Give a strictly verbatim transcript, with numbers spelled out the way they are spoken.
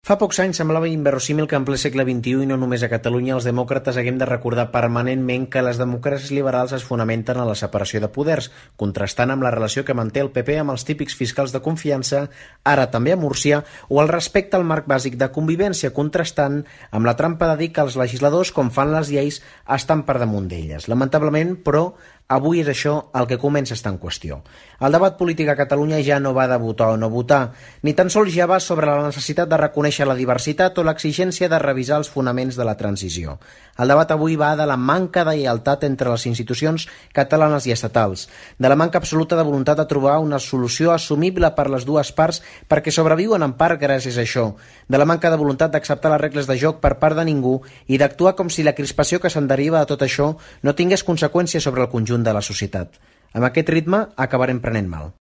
Fa pocs anys semblava inverossímil que en ple segle vint-i-u i no només a Catalunya els demòcrates haguem de recordar permanentment que les democràcies liberals es fonamenten en la separació de poders, contrastant amb la relació que manté el P P amb els típics fiscals de confiança, ara també a Múrcia, o el respecte al marc bàsic de convivència, contrastant amb la trampa de dir que els legisladors, com fan les lleis, estan per damunt d'elles. Lamentablement, però, avui és això el que comença a estar en qüestió. El debat polític a Catalunya ja no va de votar o no votar, ni tan sols ja va sobre la necessitat de reconèixer la diversitat o l'exigència de revisar els fonaments de la transició. El debat avui va de la manca de lleialtat entre les institucions catalanes i estatals, de la manca absoluta de voluntat de trobar una solució assumible per les dues parts perquè sobreviuen en part gràcies a això, de la manca de voluntat d'acceptar les regles de joc per part de ningú i d'actuar com si la crispació que se'n deriva de tot això no tingués conseqüències sobre el conjunt de la societat. Amb aquest ritme acabarem prenent mal.